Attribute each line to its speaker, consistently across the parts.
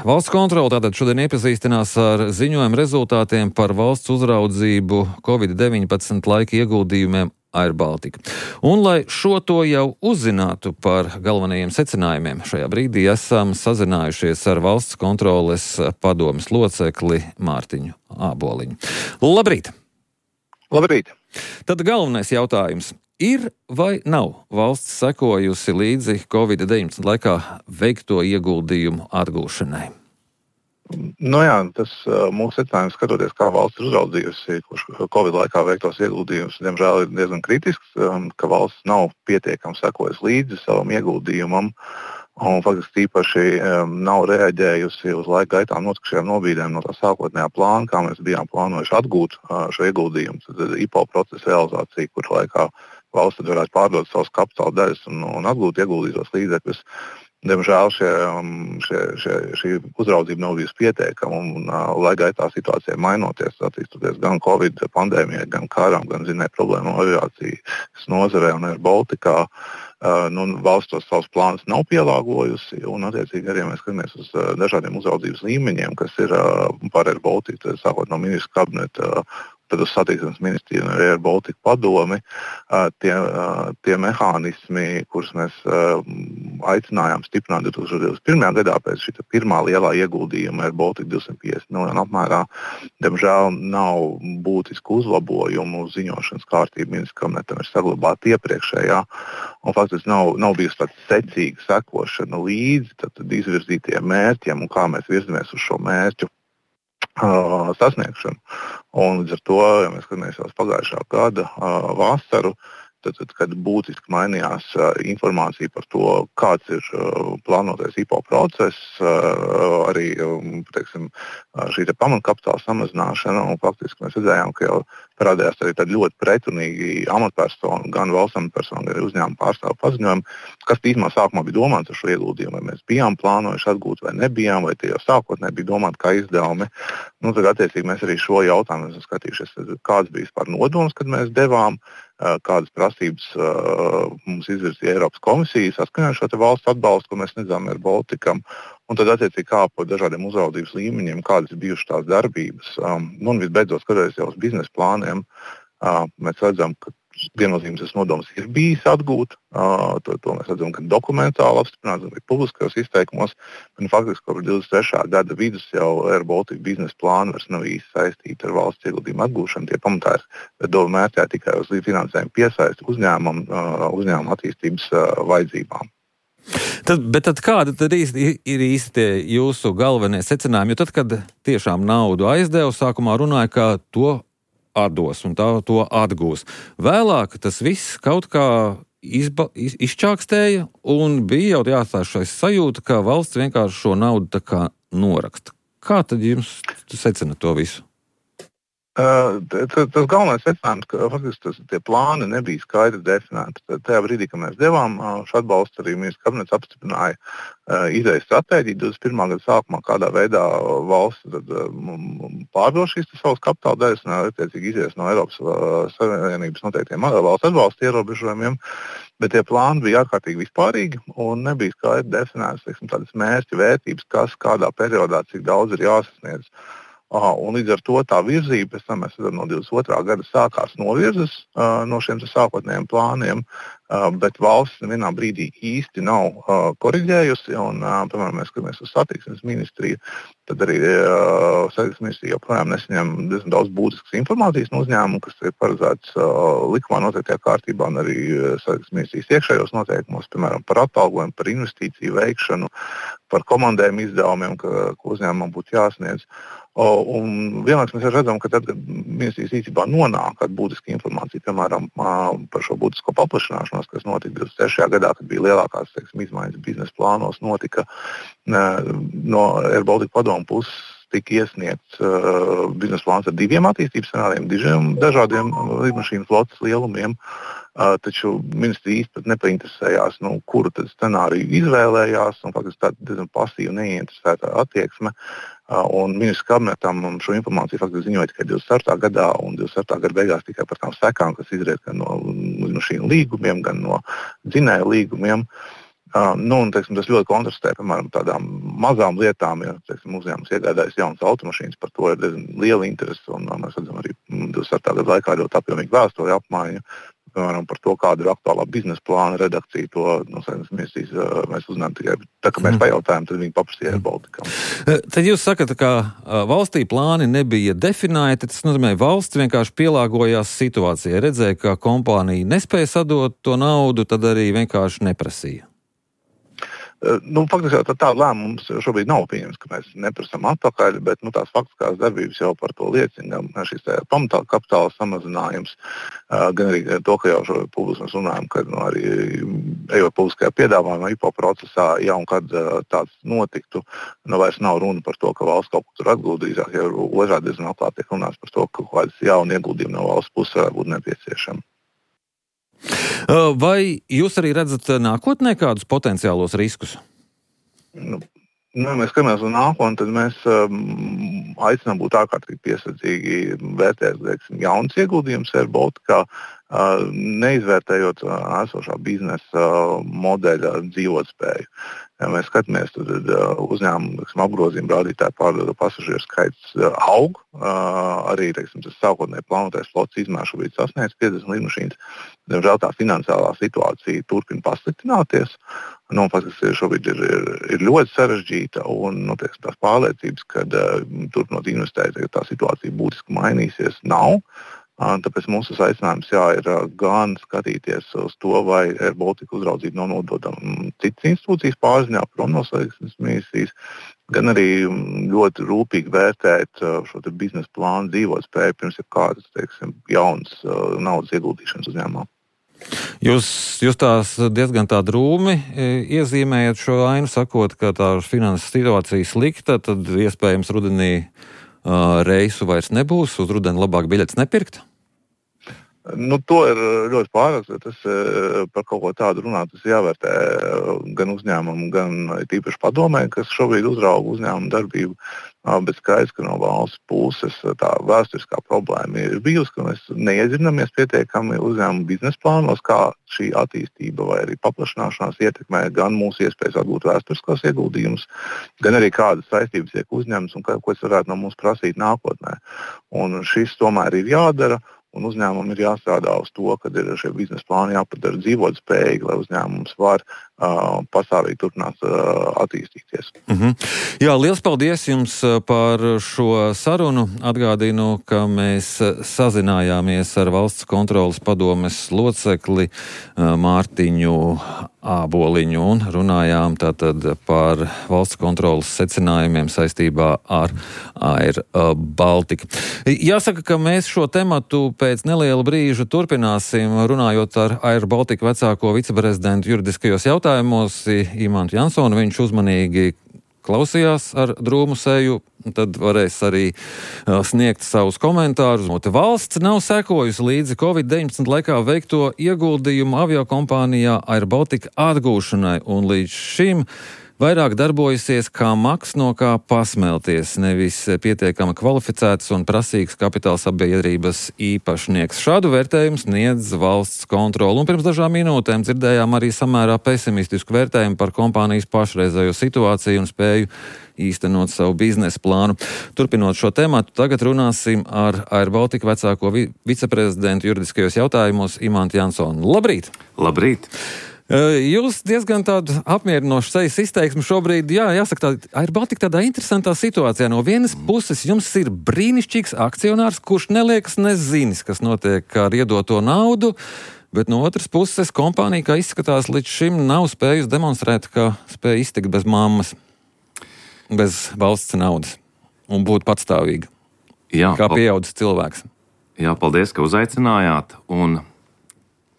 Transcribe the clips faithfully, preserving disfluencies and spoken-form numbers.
Speaker 1: Valsts kontrole tātad šodien iepazīstinās ar ziņojumu rezultātiem par valsts uzraudzību covid deviņpadsmit laika ieguldījumiem Air Baltica. Un, lai šo to jau uzzinātu par galvenajiem secinājumiem, šajā brīdī esam sazinājušies ar valsts kontroles padomes locekli Mārtiņu Āboliņu. Labrīt!
Speaker 2: Labrīt!
Speaker 1: Tad galvenais jautājums. Ir vai nav valsts sekojusi līdzi covid deviņpadsmit laikā veikto ieguldījumu atgūšanai?
Speaker 2: Nu jā, tas mūsu secinājums, skatoties, kā valsts ir uzraudzījusi Covid laikā veiktos ieguldījumus, diemžēl ir diezgan kritisks, ka valsts nav pietiekami sekojusi līdzi savam ieguldījumam un faktiski tīpaši nav reaģējusi uz laika gaitā notikušajām nobīdēm no tā sākotnējā plāna, kā mēs bijām plānojuši atgūt šo ieguldījumu. Tad I P O procesa realizācija, kur laikā valsts tad varētu pārdot savus kapitāla daļas un, un atgūt ieguldītos līdzekļus. Diemžēl šie, šie, šie, šī uzraudzība nav bijusi pietiekama un uh, laika gaitā situācija mainoties, attīstoties gan Covid pandēmijai, gan kāram, gan zinēja problēmu aviācijas nozarē un Air Balticā. Uh, nu, valsts tos savus plānus nav pielāgojusi un, attiecīgi, arī mēs skatāmies uz uh, dažādiem uzraudzības līmeņiem, kas ir uh, par Air Baltica, sākot no ministru kabineta, uh, tad uz satiksmes ministriju un Air Baltica padomi, uh, tie, uh, tie mehānismi, kurus mēs uh, aicinājām stiprināt divtūkstoš divdesmit pirmajā gadā pēc šī pirmā lielā ieguldījuma Air Baltica divsimt piecdesmit miljonu apmērā, diemžēl nav būtisku uzlabojumu ziņošanas kārtību ministru kabinetam ir saglabāta iepriekšējā. Un faktiski nav, nav bijusi tāda secīga sekošana līdzi tad, tad izvirzītiem mērķiem un kā mēs virzamies uz šo mērķu uh, sasniegšanu. Un līdz ar to, ja mēs skatāmies jau uz pagājušā gada uh, vasaru, tad, tad, kad būtiski mainījās uh, informācija par to, kāds ir uh, plānotais I P O process, uh, arī um, teiksim, uh, šī te pamatkapitāla samazināšana, un faktiski mēs redzējām, ka jau parādījās arī tādi ļoti pretrunīgi amatpersonu, gan valsts amatpersonu, gan arī uzņēmuma pārstāvu paziņojumi, kas tīmā sākumā bija domāts ar šo ieguldījumu, vai mēs bijām plānojuši atgūt vai nebijām, vai tie jau sākotnēji bija domāti kā izdevumi. Nu, tad, attiecīgi, mēs arī šo jautājumu esam skatījušies, kāds bija vispār nodoms, kad mēs devām, kādas prasības uh, mums izvirzīja Eiropas komisija saskaņā ar šo valsts atbalstu, ko mēs sniedzām Air Balticam, un tad attiecīgi kā pa dažādiem uzraudzības līmeņiem, kādas ir bijušas tās darbības. Um, nu, un visbeidzot, skatoties jau uz biznesa plāniem, uh, mēs redzam, ka viennozīmīgs tas nodoms ir bijis atgūt. Uh, to, to mēs redzam, ka dokumentāli apstiprināts arī publiskajos izteikumos. Un faktiski, kopš divdesmit trešā gada vidus jau Air Baltica biznesa plāni vairs nav īsti saistīti ar valsts ieguldījumu atgūšanu. Tie pamatā ir doma mērķē tikai uz finansējumu piesaisti uzņēmumam, uh, uzņēmuma attīstības uh, vajadzībām.
Speaker 1: Tad, bet tad kādi tad īsti, ir īsti tie jūsu galvenie secinājumi? Jo tad, kad tiešām naudu aizdeva, sākumā runāja, ka to atdos un tā to atgūs. Vēlāk tas viss kaut kā izba, iz, izčākstēja un bija jau jāatstāj šai sajūta, ka valsts vienkārši šo naudu tā kā noraksta. Kā tad jums secināt to visu?
Speaker 2: Uh, tas, tas galvenais secinājums, ka faktiski tas, tie plāni nebija skaidri definēti. Tad tajā brīdī, kad mēs devām uh, šo atbalstu, arī ministrs kabinets apstiprināja uh, idejas stratēģiju divdesmit pirmā gada sākumā, kādā veidā valsts tad, uh, pārdod šīs savas kapitāla daļas un attiecīgi izies no Eiropas uh, Savienības noteiktiem valsts atbalsta ierobežojumiem. Bet tie plāni bija ārkārtīgi vispārīgi un nebija skaidri definēts, teiksim, tādas mērķi, vērtības, kas kādā periodā, cik daudz ir jāsasniedz. Aha, un līdz ar to tā virzība, pēc tam mēs redzam, no divdesmit otrā gada sākās novirzes uh, no šiem sākotnējiem plāniem, uh, bet valsts nevienā brīdī īsti nav uh, koriģējusi. Un, uh, piemēram, mēs skatāmies uz satiksmes ministriju, tad arī uh, satiksmes ministrija joprojām nesaņem diezgan daudz būtiskas informācijas no uzņēmumu, kas ir paredzēts uh, likumā noteiktajā kārtībā un arī uh, satiksmes ministrijas iekšējos noteikumos, piemēram, par atalgojumu, par investīciju veikšanu, par komandējumu izdevumiem, ka, ko uzņēmumam būtu jāsniedz. Un vienlaikus mēs redzam, ka tad, kad ministrijas rīcībā nonāk kāda būtiska informācija, piemēram, par šo būtisko paplašināšanos, kas notika divdesmit trešajā gadā, kad bija lielākās, teiksim, izmaiņas biznesa plānos, notika no Air Baltica padomu puses tika iesniegts uh, biznesa plāns ar diviem attīstības scenārijiem, diviem dažādiem lidmašīnu flotes lielumiem, uh, taču ministri īsti pat nepainteresējās, nu, kuru tad scenāriju izvēlējās, un faktiski tāda diezgan pasīva neinteresētā attieksme. Uh, un ministrs kabinetam šo informāciju faktiski ziņoja tikai divdesmit ceturtā gadā, un divdesmit ceturtā gada beigās tikai par tām sekām, kas izriet gan no lidmašīnu līgumiem, gan no dzinēju līgumiem. Uh, nu, un, teiksim, tas ļoti kontrastē, piemēram, tādām mazām lietām, ja teiksim, uzņēmums iegādājas jaunas automašīnas, par to ir diezgan liela interese, un uh, mēs redzam arī divdesmitā gada laikā ļoti apjomīgu vēstuļu apmaiņu, piemēram, par to, kāda ir aktuālā biznesa plāna redakcija. To no saimnes ministrijas uh, mēs uzzinājām tikai tā, ka mēs mm. pajautājām, tad viņi paprasīja Air Baltica.
Speaker 1: Tad jūs sakat, ka valstī plāni nebija definēti, tas nozīmē, valsts vienkārši pielāgojās situācijai, redzēja, ka kompānija nespēja sadot to naudu, tad arī vienkārši neprasīja.
Speaker 2: Nu, faktiski jau tāda lēmuma mums šobrīd nav pieņems, ka mēs neprasām atpakaļ, bet nu, tās faktiskās darbības jau par to liecina. Gan šis pamatāla kapitāla samazinājums, gan arī to, ka jau šo publiski mēs runājam, ka nu, arī ejot publiskajā piedāvājumā, I P O procesā, ja un kad tāds notiktu, nu, vairs nav runa par to, ka valsts kaut ko tur atguldīzās, ja otrādi diezgan atklāti tiek runāts par to, ka kaut kādas jauna ieguldījuma no valsts puses varētu būt nepieciešama.
Speaker 1: Vai jūs arī redzat nākotnē kādus potenciālos riskus?
Speaker 2: Nu, nu, mēs skatāmies uz nākotni, tad mēs um, aicinām būt ārkārtīgi piesardzīgi vērtēt, teiksim, jaunas ieguldījumus Air Baltica, uh, neizvērtējot uh, esošā biznesa uh, modeļa dzīvotspēju. Ja mēs skatāmies, tad uh, uzņēmumu apgrozījuma rādītāji pārdoto pasažieru skaits uh, aug. Uh, arī teiksim, tas sākotnēji plānotais flotes izmērs šobrīd sasniedz piecdesmit lidmašīnas. Diemžēl tā finansiālā situācija turpina pasliktināties. Nu, faktiski šobrīd ir, ir, ir ļoti sarežģīta un nu, teiksim, tās pārliecības, ka uh, turpinot investēt, tā situācija būtiski mainīsies, nav. Tāpēc mūsu aicinājums jā, ir gan skatīties uz to, vai Air Baltica uzraudzība nav nododama citas institūcijas pārziņā, prom no saiknes ministrijas, gan arī ļoti rūpīgi vērtēt šo biznesa plānu dzīvotspēju pirms ir kādas, teiksim, jaunas naudas ieguldīšanas uzņēmumā.
Speaker 1: Jūs, jūs tās diezgan tā drūmi iezīmējat šo ainu, sakot, ka tā finanses situācija slikta, tad iespējams rudenī uh, reisu vairs nebūs, uz rudeni labāk biļetes nepirkt?
Speaker 2: Nu, to ir ļoti pārāk, tas par kaut ko tādu runāt, tas jāvērtē gan uzņēmumu, gan tīpaši padomē, kas šobrīd uzrauga uzņēmumu darbību, bet skaidrs, ka no valsts puses tā vēsturiskā problēma ir bijusi, ka mēs neiedzinamies pietiekami uzņēmumu biznesa plānos, kā šī attīstība vai arī paplašināšanās ietekmē gan mūsu iespējas atgūt vēsturiskos ieguldījumus, gan arī kādas saistības tiek uzņemtas un ko es varētu no mums prasīt nākotnē. Un šis tomēr ir jādara. Un uzņēmumam ir jāstrādā uz to, ka ir šie biznesa plāni jāpadara dzīvotspējīgi, lai uzņēmums var uh, pastāvīgi turpināt uh, attīstīties.
Speaker 1: Mm-hmm. Jā, liels paldies jums par šo sarunu. Atgādinu, ka mēs sazinājāmies ar valsts kontroles padomes locekli uh, Mārtiņu Āboliņu un runājām tātad par valsts kontroles secinājumiem saistībā ar Air Baltica. Jāsaka, ka mēs šo tematu pēc neliela brīža turpināsim, runājot ar Air Baltica vecāko viceprezidentu juridiskajos jautājumos Imantu Jansonu. Viņš uzmanīgi klausījās ar drūmu seju, tad varēs arī uh, sniegt savus komentārus. Valsts nav sekojusi līdzi covid deviņpadsmit laikā veikto ieguldījumu aviokompānijā Air Baltica atgūšanai, un līdz šim vairāk darbojusies kā maks no kā pasmelties, nevis pietiekami kvalificēts un prasīgs kapitāla sabiedrības īpašnieks. Šādu vērtējumu sniedz valsts kontrole. Un pirms dažām minūtēm dzirdējām arī samērā pesimistisku vērtējumu par kompānijas pašreizējo situāciju un spēju īstenot savu biznesa plānu. Turpinot šo tematu, tagad runāsim ar Air Baltica vecāko vi- viceprezidentu juridiskajos jautājumos Imantu Jansonu. Labrīt!
Speaker 3: Labrīt!
Speaker 1: Jūs diezgan tādu apmierinošu sejas izteiksmi šobrīd, jā, jāsaka, tā Air Baltica tādā interesantā situācijā. No vienas puses jums ir brīnišķīgs akcionārs, kurš neliekas nezinis, kas notiek ar iedoto naudu, bet no otras puses kompānija, kā izskatās, līdz šim nav spējusi demonstrēt, ka spēja iztikt bez mammas, bez valsts naudas un būt patstāvīga,
Speaker 3: jā,
Speaker 1: kā pieaudzis cilvēks.
Speaker 3: Jā, paldies, ka uzaicinājāt. Un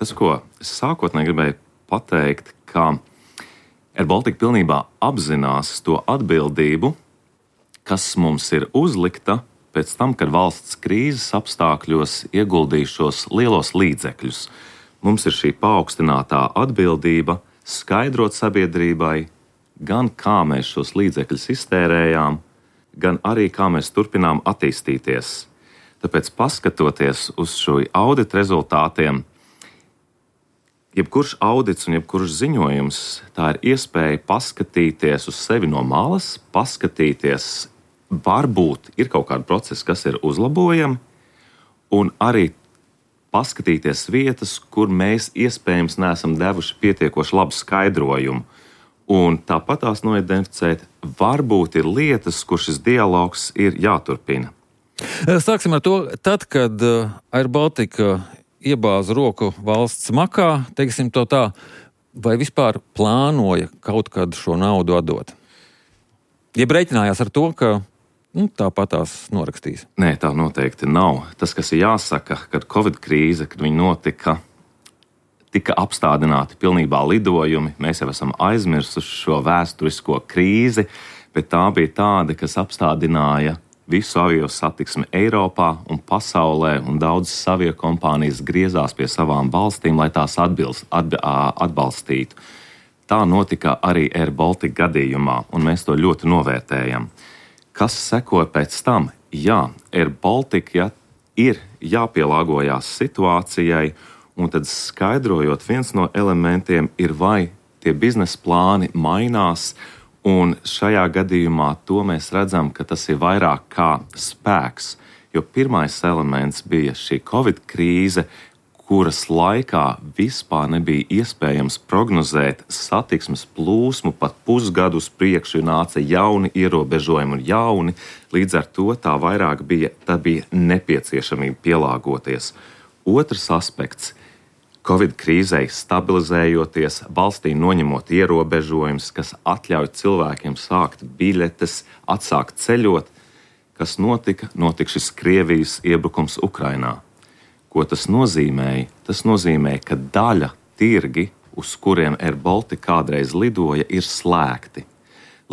Speaker 3: tas, ko es sākotnēji gribēju pateikt, ka Air Baltica pilnībā apzinās to atbildību, kas mums ir uzlikta pēc tam, kad valsts krīzes apstākļos ieguldīja šos lielos līdzekļus. Mums ir šī paaugstinātā atbildība skaidrot sabiedrībai, gan kā mēs šos līdzekļus iztērējām, gan arī kā mēs turpinām attīstīties. Tāpēc, paskatoties uz šo audita rezultātiem, jebkurš audits un jebkurš ziņojums, tā ir iespēja paskatīties uz sevi no malas, paskatīties, varbūt ir kaut kādi procesi, kas ir uzlabojami, un arī paskatīties vietas, kur mēs iespējams neesam devuši pietiekoši labu skaidrojumu. Un tāpat tās noidentificēt, varbūt ir lietas, kur šis dialogs ir jāturpina.
Speaker 1: Sāksim ar to, tad, kad Air Baltica iebāza roku valsts makā, teiksim to tā, vai vispār plānoja kaut kad šo naudu atdot? Jeb reiķinājās ar to, ka nu, tāpat tās norakstīs?
Speaker 3: Nē, tā noteikti nav. Tas, kas ir jāsaka, kad Covid krīze, kad viņi notika, tika apstādināti pilnībā lidojumi, mēs jau esam aizmirsuši šo vēsturisko krīzi, bet tā bija tāda, kas apstādināja visu avio satiksmi Eiropā un pasaulē, un daudzas avio kompānijas griezās pie savām valstīm, lai tās atbilst, atb, atbalstītu. Tā notika arī Air Baltica gadījumā, un mēs to ļoti novērtējam. Kas sekoja pēc tam? Jā, Air Baltica ja, ir jāpielāgojās situācijai, un tad skaidrojot, viens no elementiem ir, vai tie biznesa plāni mainās, un šajā gadījumā to mēs redzam, ka tas ir vairāk kā spēks, jo pirmais elements bija šī Covid krīze, kuras laikā vispār nebija iespējams prognozēt satiksmes plūsmu pat pusgadu uz priekšu, nāca jauni ierobežojumi un jauni, līdz ar to tā vairāk bija, tā bija nepieciešamība pielāgoties. Otrs aspekts. Covid krīzei stabilizējoties, valstī noņemot ierobežojumus, kas atļauj cilvēkiem sākt biļetes, atsākt ceļot, kas notika, notika šis Krievijas iebrukums Ukrainā. Ko tas nozīmēja? Tas nozīmēja, ka daļa tirgi, uz kuriem Air Baltica kādreiz lidoja, ir slēgti.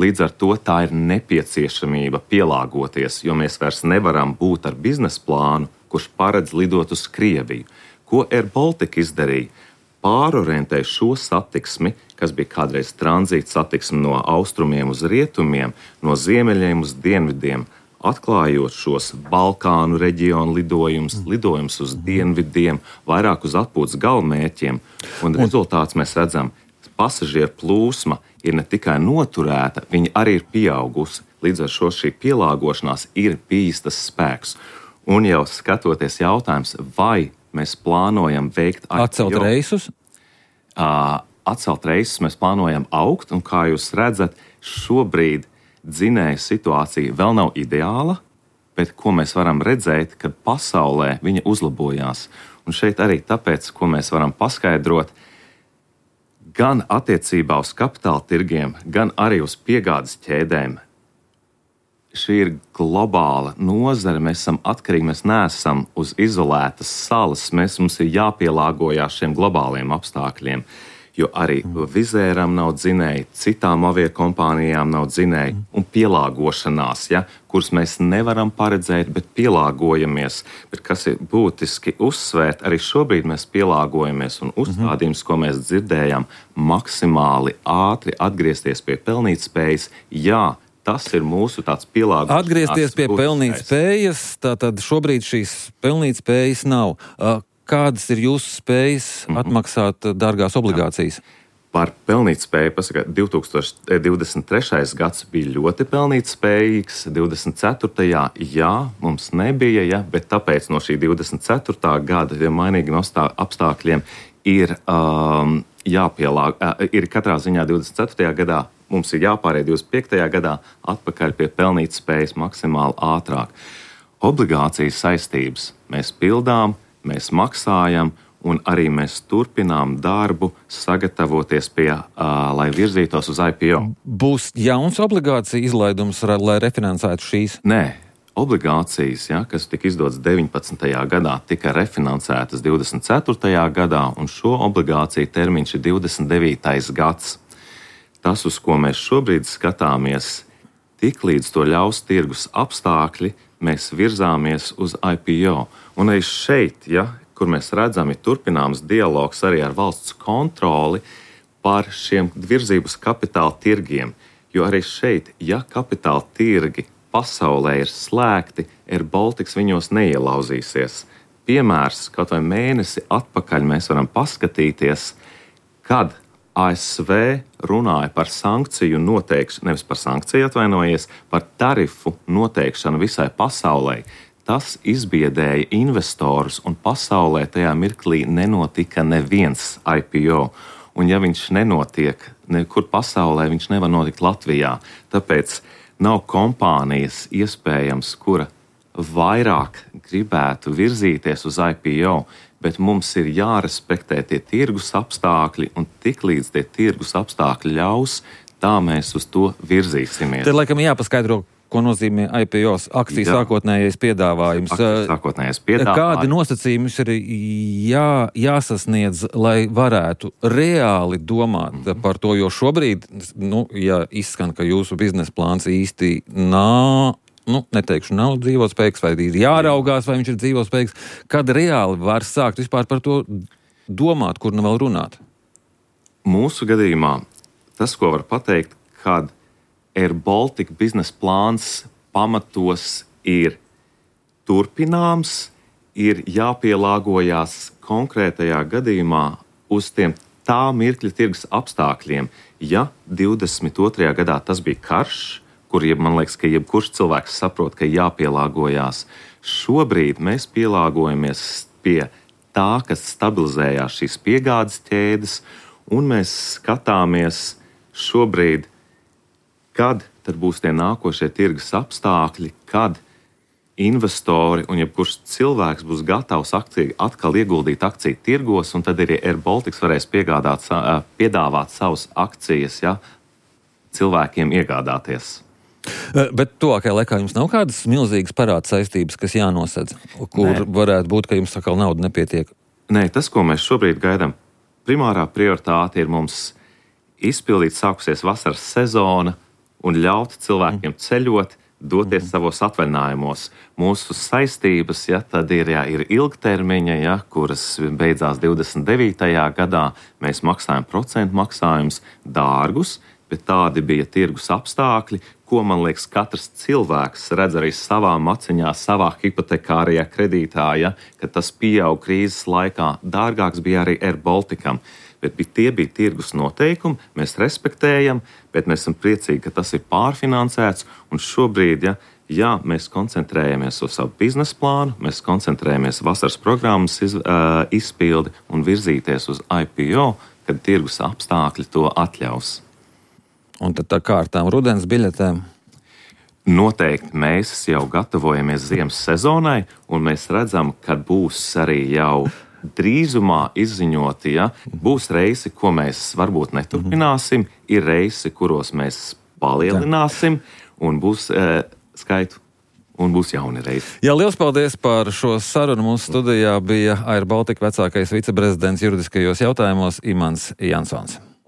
Speaker 3: Līdz ar to tā ir nepieciešamība pielāgoties, jo mēs vairs nevaram būt ar biznesa plānu, kurš paredz lidot uz Krieviju. Ko Air Baltica izdarīja? Pārorientēja šo satiksmi, kas bija kādreiz tranzīta satiksme no austrumiem uz rietumiem, no ziemeļiem uz dienvidiem, atklājot šos Balkānu reģionu lidojumus, lidojumus uz dienvidiem, vairāk uz atpūtas galamērķiem. Un rezultāts mēs redzam, pasažieru plūsma ir ne tikai noturēta, viņa arī ir pieaugusi. Līdz ar šo šī pielāgošanās ir bijis tas spēks. Un jau skatoties jautājums, vai mēs plānojam veikt
Speaker 1: atcelt reisus?
Speaker 3: Uh, atcelt reisus mēs plānojam augt, un kā jūs redzat, šobrīd dzinēja situācija vēl nav ideāla, bet ko mēs varam redzēt, kad pasaulē viņa uzlabojās. Un šeit arī tāpēc, ko mēs varam paskaidrot, gan attiecībā uz kapitāla tirgiem, gan arī uz piegādes ķēdēm. Šī ir globāla nozare, mēs esam atkarīgi, mēs neesam uz izolētas salas, mēs, mums ir jāpielāgojās šiem globāliem apstākļiem, jo arī Vizēram nav dzinēji, citām aviokompānijām nav dzinēji, un pielāgošanās, ja, kuras mēs nevaram paredzēt, bet pielāgojamies. Bet kas ir būtiski uzsvērt, arī šobrīd mēs pielāgojamies, un uzstādījums, ko mēs dzirdējām, maksimāli ātri atgriezties pie pelnītspējas, jā, tas ir mūsu tāds pielāgojums.
Speaker 1: Atgriezties pie pelnītspējas, tātad šobrīd šīs pelnītspējas nav. Kādas ir jūsu spējas atmaksāt dārgās obligācijas?
Speaker 3: Par pelnītspēju pasaka, divi tūkstoši divdesmit trešais gads bija ļoti pelnītspējīgs, divdesmit ceturtajā jā, mums nebija, ja, bet tāpēc no šī divdesmit ceturtā gada ja mainīgiem apstākļiem ir um, jāpielāg, uh, ir katrā ziņā divdesmit ceturtajā gadā mums ir jāpāriet divdesmit piektajā gadā atpakaļ pie pelnītspējas maksimāli ātrāk. Obligācijas saistības mēs pildām, mēs maksājam, un arī mēs turpinām darbu, sagatavoties pie, uh, lai virzītos uz I P O.
Speaker 1: Būs jauns obligācija izlaidums, lai refinansētu šīs?
Speaker 3: Nē, obligācijas, ja, kas tika izdotas deviņpadsmitajā gadā, tika refinansētas divdesmit ceturtajā gadā, un šo obligāciju termiņš ir divdesmit devītais gads. Tas, uz ko mēs šobrīd skatāmies, tik līdz to ļaus tirgus apstākļi, mēs virzāmies uz I P O. Un arī šeit, ja, kur mēs redzam, ir turpināms dialogs arī ar valsts kontroli par šiem virzības kapitāla tirgiem. Jo arī šeit, ja kapitāla tirgi pasaulē ir slēgti, Air Baltica viņos neielauzīsies. piemērs, kaut vai mēnesi atpakaļ mēs varam paskatīties, kad A S V runāja par sankciju noteikšanu, nevis par sankciju atvainojies, par tarifu noteikšanu visai pasaulē. Tas izbiedēja investorus, un pasaulē tajā mirklī nenotika neviens I P O. Un ja viņš nenotiek nekur pasaulē, viņš nevar notikt Latvijā. Tāpēc nav kompānijas iespējams, kura vairāk gribētu virzīties uz I P O, bet mums ir jārespektē tie tirgus apstākļi, un tiklīdz tie tirgus apstākļi ļaus, tā mēs uz to virzīsimies.
Speaker 1: Te laikam jāpaskaidro, ko nozīmē I P O, akcijas
Speaker 3: Jā.
Speaker 1: sākotnējais piedāvājums.
Speaker 3: Akcijas sākotnējais piedāvājums.
Speaker 1: Kādi nosacījumi ir jā, jāsasniedz, lai varētu reāli domāt mm-hmm. par to, jo šobrīd, nu, ja izskan, ka jūsu biznesa plāns īsti nav, nu, neteikšu, nav dzīvotspējīgs, vai ir jāraugās, vai viņš ir dzīvotspējīgs, kad reāli var sākt vispār par to domāt, kur nu vēl runāt?
Speaker 3: Mūsu gadījumā tas, ko var pateikt, kad Air Baltica biznesa plāns pamatos ir turpināms, ir jāpielāgojās konkrētajā gadījumā uz tiem tā mirkļa tirgus apstākļiem. Ja divdesmit otrajā gadā tas bija karš, kur, man liekas, ka jebkurš cilvēks saprot, ka jāpielāgojās. Šobrīd mēs pielāgojamies pie tā, kas stabilizējās šīs piegādes ķēdes, un mēs skatāmies šobrīd, kad tad būs tie nākošie tirgus apstākļi, kad investori un jebkurš cilvēks būs gatavs akciju, atkal ieguldīt akciju tirgos, un tad arī Air Baltica varēs piegādāt, piedāvāt savus akcijas, ja, cilvēkiem iegādāties.
Speaker 1: Bet tuvākajā laikā jums nav kādas milzīgas parāda saistības, kas jānosedz, kur Nē. varētu būt, ka jums atkal nauda nepietiek?
Speaker 3: Nē, tas, ko mēs šobrīd gaidām, primārā prioritāte ir mums izpildīt sākusies vasaras sezona un ļaut cilvēkiem ceļot, doties mm. savos atvaļinājumos. Mūsu saistības, ja, tad ir, ja, ir ilgtermiņa, ja, kuras beidzās divdesmit devītajā gadā. Mēs maksājam procentu maksājumus dārgus, bet tādi bija tirgus apstākļi, ko, man liekas, katrs cilvēks redz arī savā maciņā, savā hipotekārajā kredītā, ja, ka tas pieaug krīzes laikā. Dārgāks bija arī Air Balticam, bet tie bija tirgus noteikumi, mēs respektējam, bet mēs esam priecīgi, ka tas ir pārfinansēts, un šobrīd, ja, jā, mēs koncentrējamies uz savu biznesa plānu, mēs koncentrējamies vasaras programmas iz, uh, izpildi un virzīties uz I P O, kad tirgus apstākļi to atļaus.
Speaker 1: Un tad tā kārtām rudens biļetēm?
Speaker 3: Noteikti mēs jau gatavojamies ziemas sezonai, un mēs redzam, ka būs arī jau drīzumā izziņoti, ja, būs reisi, ko mēs varbūt neturpināsim, ir reisi, kuros mēs palielināsim, un būs e, skaitu, un būs jauni reisi.
Speaker 1: Jā, liels paldies par šo sarunu. Mūsu studijā bija Air Baltica vecākais viceprezidents juridiskajos jautājumos Imants Jansons.